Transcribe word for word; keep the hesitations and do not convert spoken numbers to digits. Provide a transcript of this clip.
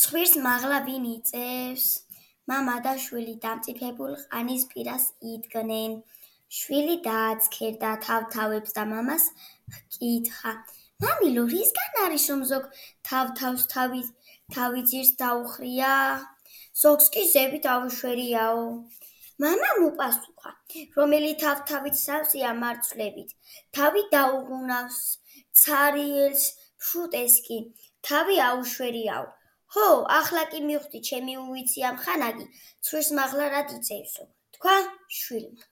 ცხვირს მაღლა ვინ იწევს? მამა და შვილი დამწიფებულ ყანის პირას იდგნენ. შვილი დააცქერდა თავთავებს და მამას ჰკითხა: მამილო, რისგან არის, რომ ზოგ თავთავს თავი ძირს დაუხრია? ზოგს კი ზევით აუშვერიაო. მამამ უპასუხა: რომელი თავთავით სავსეა მარცვლებით, თავი დაუღუნავს, ცარიელს ფშუტეს კი თავი აუშვერიაო. ჰო, ახლა კი მივხვდი, ჩემი უვიცი ამხანაგი, ცხვირს მაღლა რად იწევსო, თქვა შვილმა.